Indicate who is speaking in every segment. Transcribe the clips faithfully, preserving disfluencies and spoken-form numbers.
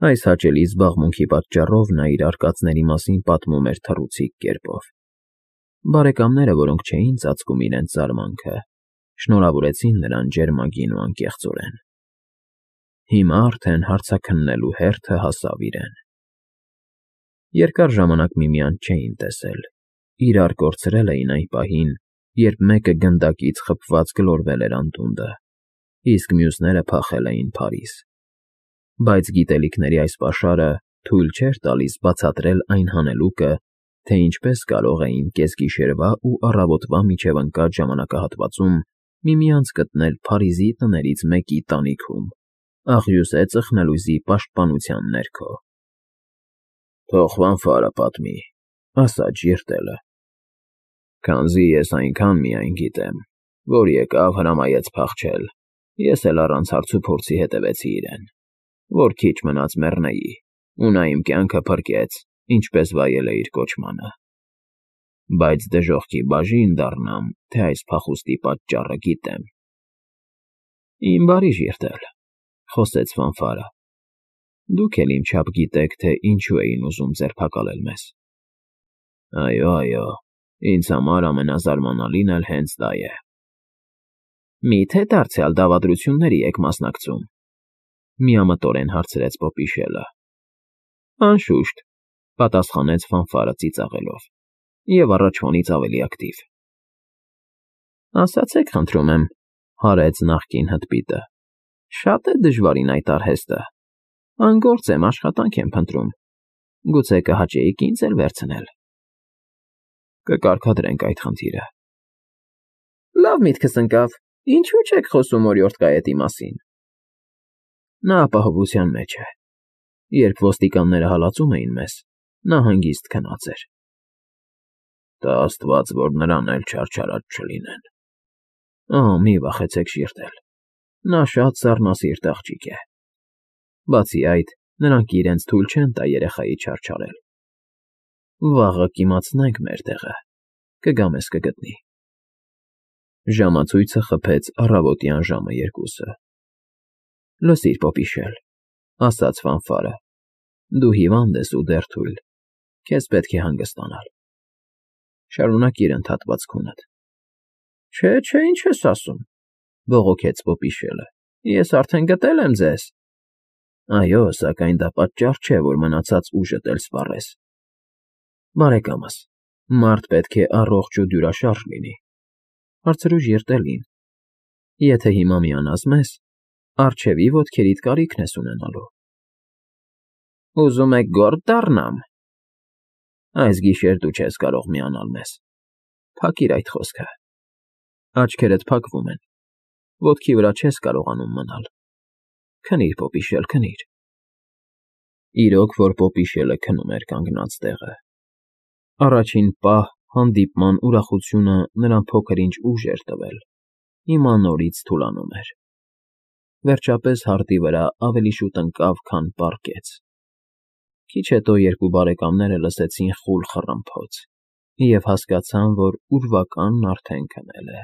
Speaker 1: Այս հաճելի զբաղմունքի պատճառով նա իր արկածների մասին պատմում էր թռուցիկ կերպով։ Բարեկամները, որոնք չէին ծածկում իրենց զարմանքը, շնորհավորեցին նրան ջերմագին ու անկեղծորեն։ Հիմա արդեն հարցաքննելու հերթը հասավ իրեն։ Երկար ժամանակ միմյանց չէին տեսել, իրար կորցրել էին այն պահին, երբ մեկը գնդակից խփված գլորվել էր անդունդը, իսկ մյուսները փախել էին Փարիզ։ Բայց գիտելիքների այս պաշարը թույլ չէր տալիս բացատրել այն հանելուկը, թե ինչպես կարող էին կեսգիշերվա ու առավոտվա միջև ընկած ժամանակահատվածում միմյանց գտնել Փարիզի տներից մեկի տանիքում, աղյուսե ծխնելույզի պաշտպանության ներքո։ «Թող Ֆանֆարը պատմի,֊ ասաց ժիրտելը,֊ քանզի ես այնքան միայն գիտեմ, որ եկավ, հրամայեց փախչել, ես էլ առանց հարցուփորձի հետևեցի իրեն, որ քիչ մնաց մեռնեի, ու նա իմ կյանքը փրկեց, ինչպես վայել է իր կոչմանը։ Բայց դժոխքի բաժին դառնամ, թե այս փախուստի պատճառը գիտեմ»։ «Իմ բարի ժիրտել,֊ խոսեց Ֆանֆարը,֊ դուք էլ իմ չափ գիտեք, թե ինչու էին ուզում ձերբակալել մեզ»։ «Այո, այո, ինձ համար ամենազարմանալին էլ հենց դա է»։ «Մի՞թե դարձյալ դավադրությունների եք մասնակցում,֊ միամտորեն հարցրեց Պոպիշելը։ «Անշուշտ,֊ պատասխանեց Ֆանֆարը ծիծաղելով, և առաջվանից ավելի ակտիվ»։ «Ասացեք, խնդրում եմ,֊ հարց նախկին հտպիտը,֊ շա՞տ է դժվարին այդ արհեստը։ Անգործ եմ, աշխատանք եմ փնտրում, գուցե կհաճեիք ինձ էլ վերցնել»։ «Կկարգադրենք այդ խնդիրը»։ «Լավ միտքս ընկավ, ինչո՞ւ չեք խոսում օրիորդ կայետի մասին»։ «Նա ապահովության մեջ է։ Երբ ոստիկանները հալածում էին մեզ, նա հանգիստ քնած էր»։ «Տա աստված, որ նրան էլ չարչարած չլինեն»։ «Օ, մի վախեցեք, ժիրտել, նա շատ սառնասիրտ աղջիկ է։ Բացի այդ, նրանք իրենց թույլ չեն տա երեխայի չարչարել։ Վաղը կիմացնենք մեր տեղը, կգա մեզ կգտնի»։ Ժամացույցը խփեց առավոտյան ժամը երկուսը։ «Լսիր, Պոպիշել,֊ ասաց Ֆանֆարը,֊ դու հիվանդ ես ու դեռ թույլ, քեզ պետք է հանգստանալ։ Շարունակիր ընդհատված քունդ»։ «Չէ, չէ, ինչ ես ասում,֊ բողոքեց Պոպիշելը,֊ ես արդեն գտել եմ ձեզ»։ «Այո, սակայն դա պատճառ չէ, որ մնացած ուժդ էլ սպառես։ Բարեկամս, մարդ պետք է առողջ ու դյուրաշարժ լինի, հարցրու ժիրտելին։ Եթե հիմա միանաս մեզ, առջևի ոտքերիդ կարիքն ես ունենալու»։ «Ուզում եք գո՞րդ դառնամ»։ «Այս գիշեր դու չես կարող միանալ մեզ, փակիր այդ խոսքը։ Աչքերդ փակվում են, ոտքի վրա չես կարողանում մնալ։ Քնիր, Պոպիշել, քնիր»։ Իրոք որ Պոպիշելը քնում էր կանգնած տեղը։ Առաջին պահ հանդիպման ուրախությունը նրան փոքր-ինչ ուժ էր տվել, հիմա նորից թուլանում էր։ Վերջապես հարտի վրա ավելի շուտ ընկավ, քան պառկեց։ Քիչ հետո երկու բարեկամները լսեցին խուլ խռմփոց և հասկացան, որ ուրվականն արդեն քնել է։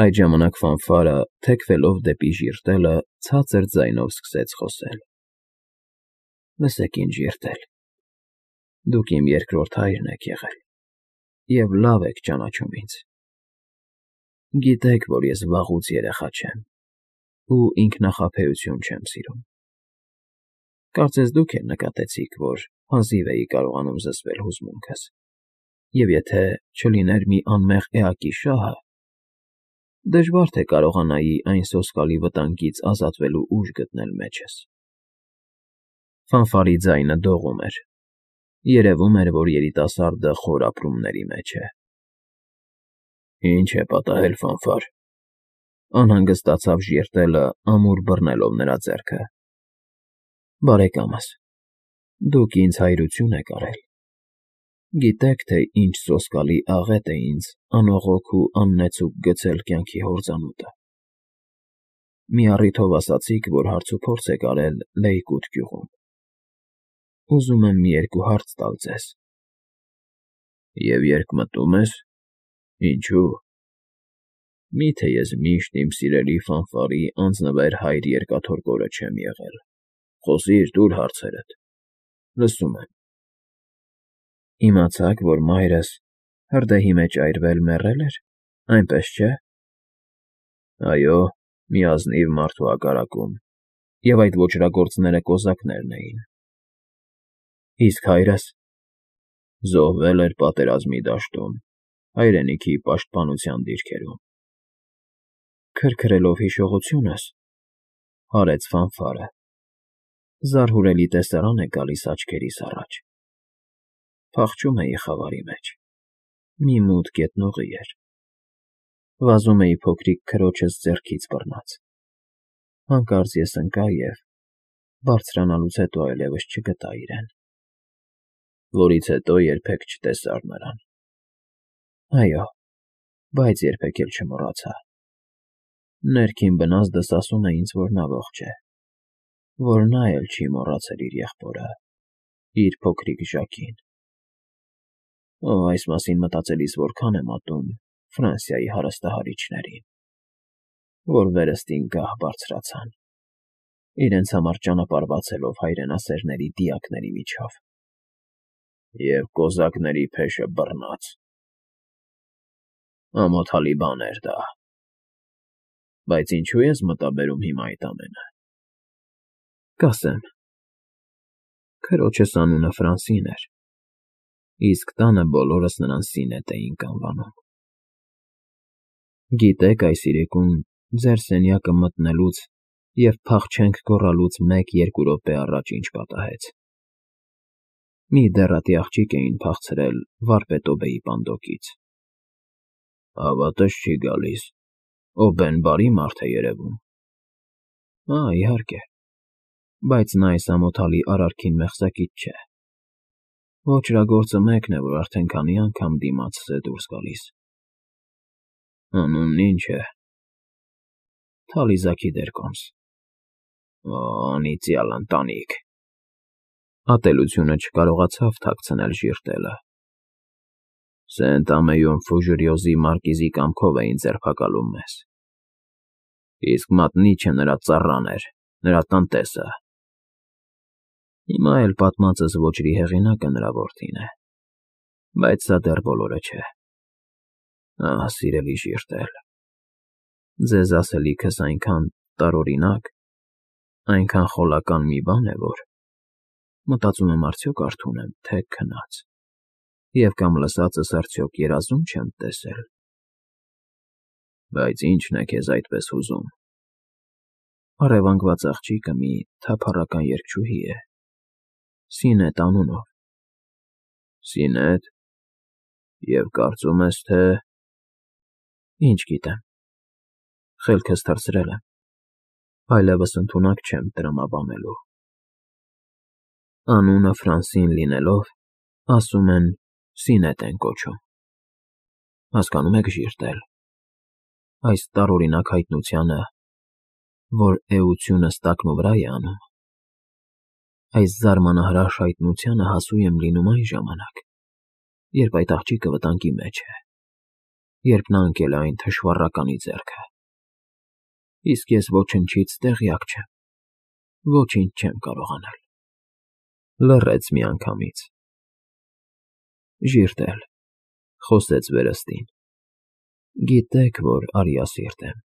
Speaker 1: Այդ ժամանակ Ֆանֆարը, թեքվելով դեպի ժիրտելը, ցածր ձայնով սկսեց խոսել. «Լսեք ինձ, ժիրտել, դուք իմ երկրորդ հայրն եք եղել և լավ եք ճանաչում ինձ։ Գիտեք, որ ես վաղուց երեխա չեմ ու ինքնախաբեություն չեմ սիրում։ Կարծես դուք էլ նկատեցիք, որ հազիվ էի կարողանում զսպել հուզմունքս, և եթե չլիներ մի անմեղ էակի շահը, դժվար թե կարողանայի այն սոսկալի վտանգից ազատվելու ուժ գտնել մեջս»։ Ֆանֆարի ձայնը դողում էր։ Երևում էր, որ երիտասարդը խոր ապրումների մեջ է։ «Ի՞նչ է պատահել, Ֆանֆար,֊ անհանգստացավ ժիրտելը, ամուր բռնելով նրա ձեռքը։ «Բարեկամս, դուք ինձ հայրություն եք արել։ Գիտեք, թե ինչ սոսկալի աղետ է ինձ անողոք ու աննեցուկ գցել կյանքի հորձանուտը։ Մի առիթով ասացիք, որ հարցուփորձ եք արել Լեյկոտ գյուղում։ Ուզում եմ մի երկու հարց տալ ձեզ»։ «Եվ երկմտո՞ւմ ես, ինչո՞ւ։ Մի՞թե ես միշտ իմ սիրելի Ֆանֆարի անձնվեր հայր երկաթորկորը չեմ եղել, Խոսիր, տուր հարցերդ, լսում եմ։ Իմացաք, որ մայրս հրդեհի մեջ այրվել մեռել էր, այնպես չէ։ Այո, մի ազնիվ մարդու հակառակում, և այդ ոճրագործները կոզակներն էին։ Իսկ հայրս զոհվել էր պատերազմի դաշտում, հայրենիքի պաշտպանության դիրքերում։ Քրքրելով հիշողությունս, հարեց Ֆանֆարը, զարհուրելի տեսարան է գալիս աչքերիս առաջ։ Փախչում էի խավարի մեջ, մի մութ գետնողի էր, վազում էի փոքրիկ քրոջս ձեռքից բռնած։ Հանկարծ ես ընկա և, բարձրանալուց հետո այլևս չգտա իրեն, որից հետո երբեք չտեսար նրան։ Այո, բայց երբեք էլ չմոռացա։ Ներքին բնազդս ասում է ինձ, որ նա ողջ է, որ նա էլ չի մոռացել իր եղբորը, իր փոքրիկ Ժակին։ Օ, այս մասին մտածելիս որքան եմ ատում Ֆրանսիայի հարստահարիչներին, որ վերստին գահ բարձրացան, իրենց համար ճանապարհ բացելով հայրենասերների դիակների միջով։ Եվ կոզակների փեշը բռնած։ Ամոթալի բան էր դա։ Բայց ինչու ես մտաբերում հիմա այդ ամենը։ Կասեմ։ Քրոջս անունը Ֆրանսին էր, իսկ տանը բոլորս նրան Սինետ էինք անվանում։ Գիտեք, այս իրիկուն ձեր սենյակը մտնելուց և «փախչենք» գոռալուց մեկ֊երկու րոպե առաջ ինչ պատահեց։ Մի դեռատի աղջիկ էին փախցրել վարպետոբեի պանդոկից։ Հավատս չի գալիս, Օբեն բարի մարդ է երևում։ Ա, իհարկե, բայց նա այս ամոթալի արարքին մեղսակից չէ։ Ոճրագործը մեկն է, որ արդեն քանի անգամ դիմացս է դուրս գալիս։ Անունն ինչ է։ Թալիզաքի դերկոմս։ Օ, անիծյալ ընտանիք։ Ատելությունը չկարողացավ թաքցնել ժիրտելը։ Սենտ-Ամեյում Ֆուժրիոզի մարկիզի կամքով էին ձերբակալում մեզ։ Իսկ մատնիչը նրա ծառան էր, նրա տնտեսը։ Հիմա էլ պատմածս ոճրի հեղինակը նրա որդին է, բայց սա դեռ բոլորը չէ։ Ահ, սիրելի ժիրտել, ձեզ ասելիքս այնքան տարօրինակ, այնքան խոլական մի բան է, որ մտածում եմ արդյոք արթուն եմ, թե քնած, և կամ լսածս արդյոք երազում չեմ տեսել։ Բայց ի՞նչն է քեզ այդպես հուզում։ Առևանգված աղջիկը մի թափառական երգչուհի է, Սինետ անունով։ Սինետ, և կարծում ես, թե… Ինչ գիտեմ, խելքս թռցրել եմ, այլևս ընդունակ չեմ տրամաբանելու։ Անունը Ֆրանսին լինելով, ասում են Սինետ են կոչում։ Հասկանում եք, ժիրտել, այս տարօրինակ հայտնությանը, որ էությունս տակնուվրա է անում, այս զարմանահրաշ հայտնությանը հասու եմ լինում այն ժամանակ, երբ այդ աղջիկը վտանգի մեջ է, երբ նա ընկել է այն թշվառականի ձեռքը։ Իսկ ես ոչնչից տեղյակ չեմ, ոչինչ չեմ կարող անել։ Լռեց միանգամից։ Ժիրտել, խոսեց վերստին, գիտեք, որ արիասիրտ եմ։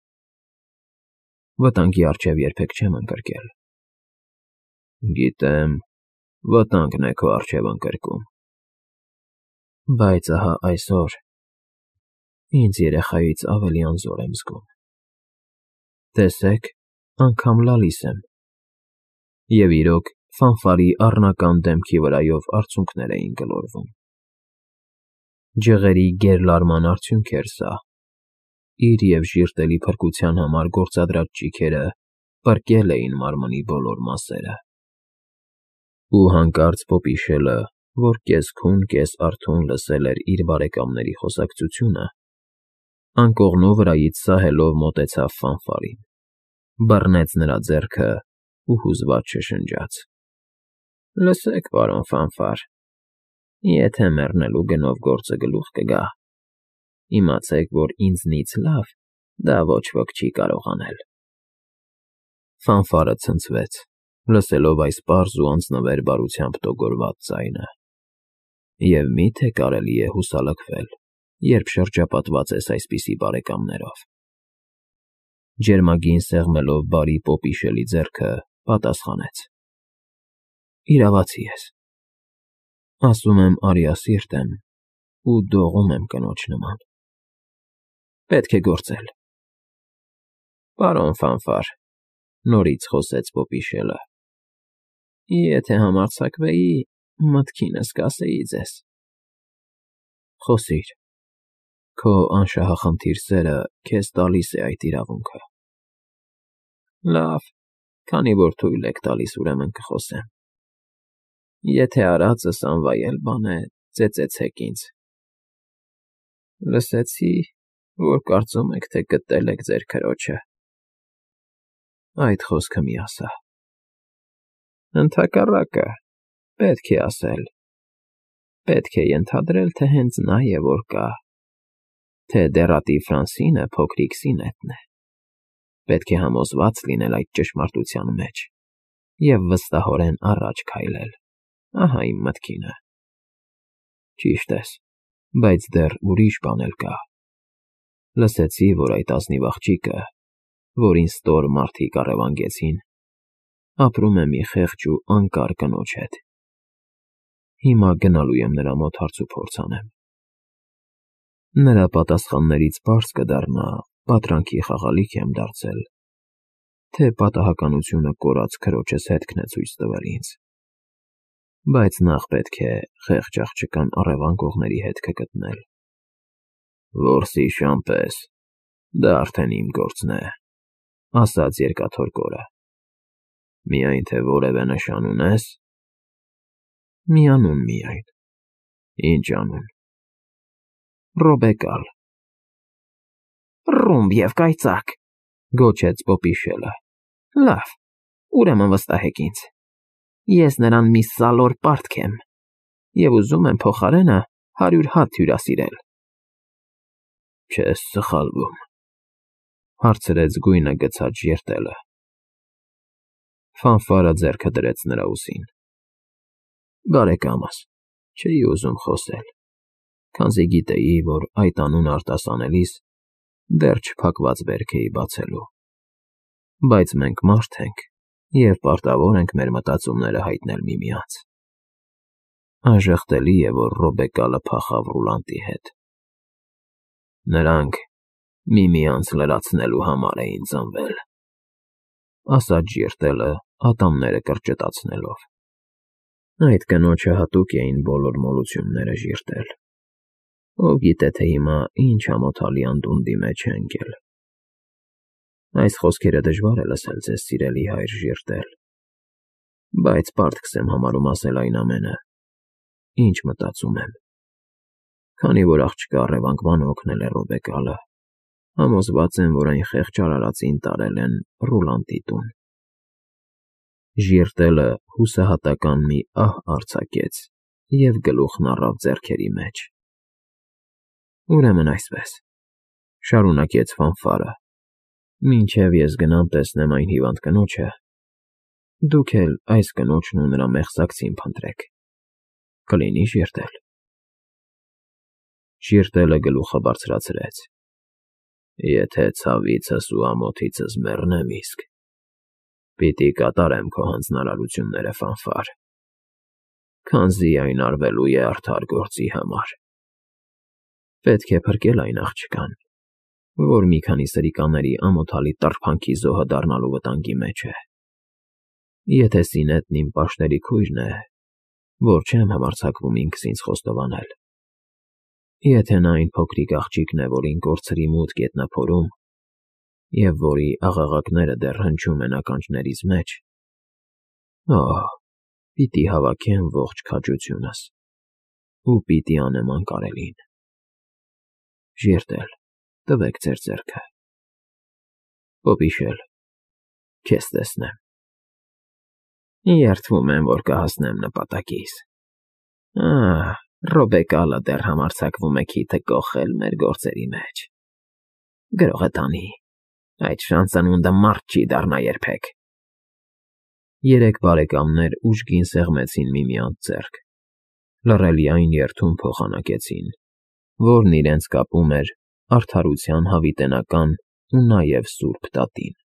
Speaker 1: Վտանգի առջև երբեք չեմ ընկրկել։ Գիտեմ, վտանգն է քո առջև ընկրկում։ Բայց ահա այսօր ինձ երեխայից ավելի անզոր եմ զգում։ Տեսեք, անգամ լալիս եմ։ Եվ իրոք, Ֆանֆարի առնական դեմքի վրայով արցունքներ էին գլորվում։ Ջղերի գերլարման արդյունք էր սա։ Իր և ժիրտելի փրկության համար գործադրած ճիգերը պրկել էին մարմնի բոլոր մասերը։ Ու հանկարծ Պոպիշելը, որ կես֊քուն, կես֊արթուն լսել էր իր բարեկամների խոսակցությունը, անկողնու վրայից սահելով մոտեցավ Ֆանֆարին, բռնեց նրա ձեռքը ու հուզված շշնջաց. Լսեք, պարոն Ֆանֆար, եթե մեռնելու գնով գործը գլուխ կգա, իմացեք, որ ինձնից լավ դա ոչ ոք չի կարող անել։ Ֆանֆարը ցնցվեց, լսելով այս պարզ ու անձնվեր բարությամբ տոգորված ձայնը։ Եվ մի՞թե կարելի է հուսալքվել, երբ շրջապատված ես այսպիսի բարեկամներով։ Ջերմագին սեղմելով բարի Պոպիշելի ձեռքը, պատասխանեց. Իրավացի ես։ Ասում եմ արիասիրտ եմ ու դողում եմ կնոջ նման։ Պետք է գործել։ Պարոն Ֆանֆար, նորից խոսեց Պոպիշելը, եթե համարձակվեի, մտքինս կասեի ձեզ։ Խոսիր, քո անշահախնդիր սերը քեզ տալիս է այդ իրավունքը։ Լավ, քանի որ թույլ եք տալիս, ուրեմն կխոսեմ։ Եթե արածս անվայել բան է, ծեծեցեք ինձ։ Լսեցի, որ կարծում եք, թե գտել եք ձեր քրոջը։ Այդ խոսքը մի ասա։ Ընդհակառակը, պետք է ասել։ Պետք է ենթադրել, թե հենց նա է, որ կա, թե դեռատի Ֆրանսինը փոքրիկ Սինետն է։ Պետք է համոզված լինել այդ ճշմարտության մեջ և վստահորեն առաջ քայլել։ Ահա իմ մտքինը։ Ճիշտ ես, բայց դեռ ուրիշ բան էլ կա։ Լսեցի, որ այդ ազնիվ աղջիկը, որին ստոր մարդիկ առևանգեցին, ապրում է մի խեղճ ու անկար կնոջ հետ։ Հիմա գնալու եմ նրա մոտ հարցուփորձ անեմ։ Նրա պատասխաններից պարզ կդառնա, պատրանքի խաղալիք եմ դարձել, թե պատահականությունը կորած քրոջս հետքն է ցույց տվել ինձ։ Բայց նախ պետք է խեղճ աղջկան առևանգողների հետքը գտնել։ Որսի շամպես, դա արդեն իմ գործն է, ասաց երկաթոր կորը։ Միայն թե որևէ նշան ունես։ Մի անուն միայն։ Ինչ անուն։ Ռոբեկալ։ Ռումբ և կայծակ, գոչեց Պոպիշելը։ Լավ, ուրեմն վստահեք ինձ։ Ես նրան մի սալոր պարտք եմ և ուզում եմ փոխարենը հարյուր հատ հյուրասիրել։ Չես սխալվում, հարցրեց գույնը գցած ժիրտելը։ Ֆանֆարը ձեռքը դրեց նրա ուսին։ Բարեկամս, չէի ուզում խոսել, քանզի գիտեի, որ այդ անունը արտասանելիս դեռ չփակված վերք էի բացելու։ Բայց մենք մարդ ենք և պարտավոր ենք մեր մտածումները հայտնել միմյանց։ Անժխտելի է, որ Ռոբեկալը փախավ Ռուլանտի հետ։ Նրանք միմյանց լրացնելու համար էին ծնվել, ասաց ժիրտելը, ատամները կրճտացնելով։ Այդ կնոջը հատուկ էին բոլոր մոլությունները ժիրտել։ Ով գիտե, թե հիմա ինչ ամոթալի անդունդի մեջ է ընկել։ Այս խոսքերը դժվար է լսել ձեզ, սիրելի հայր ժիրտել, բայց պարտքս եմ համարում ասել այն ամենը, ինչ մտածում եմ։ Քանի որ աղջկա առևանգման օգնել է Ռոբեկալը, համոզված եմ, որ այն խեղճ արարածին տարել են Ռուլանտի տուն։ Ժիրտելը հուսահատական մի ահ արձակեց և գլուխն առավ ձեռքերի մեջ։ Ուրեմն այսպես, շարունակեց Ֆանֆարը, մինչև ես գնամ տեսնեմ այն հիվանդ կնոջը, դուք էլ այս կնոջն ու նրա մեղսակցին փնտրեք։ Կլինի՞ ժիրտել։ Ժիրտելը գլուխը բարձրացրեց։ Եթե ցավիցս ու ամոթիցս մեռնեմ իսկ, պիտի կատարեմ քո հանձնարարությունները, Ֆանֆար, քանզի այն արվելու է արդար գործի համար։ Պետք է փրկել այն աղջկան, որ մի քանի սրիկաների ամոթալի տրփանքի զոհը դառնալու վտանգի մեջ է։ Եթե Սինետն իմ պաշտների քույրն է, որ չեմ համարձակվում ինքս ինձ խոստովանել։ Եթե նա այն փոքրիկ աղջիկն է, որին կորցրի մութ գետնափորում, և որի աղաղակները դեռ հնչում են ականջներիս մեջ, օհ, պիտի հավաքեմ ողջ քաջությունս ու պիտի անեմ անկարելին։ Ժիրտել, տվեք ձեր ձեռքը։ Պոպիշել, քեզ տեսնեմ։ Երդվում եմ, որ կհասնեմ նպատակիս։ Ահ, Ռոբեկալը դեռ համարձակվում է քիթը կոխել մեր գործերի մեջ։ Գրողը տանի, այդ շանծանունդը մարդ չի դառնա երբեք։ Երեք բարեկամներ ուժգին սեղմեցին միմյանց ձեռք, լռելիայն երդում փոխանակեցին, որն իրենց կապում էր արդարության հավիտենական ու նաև սուրբ դատին։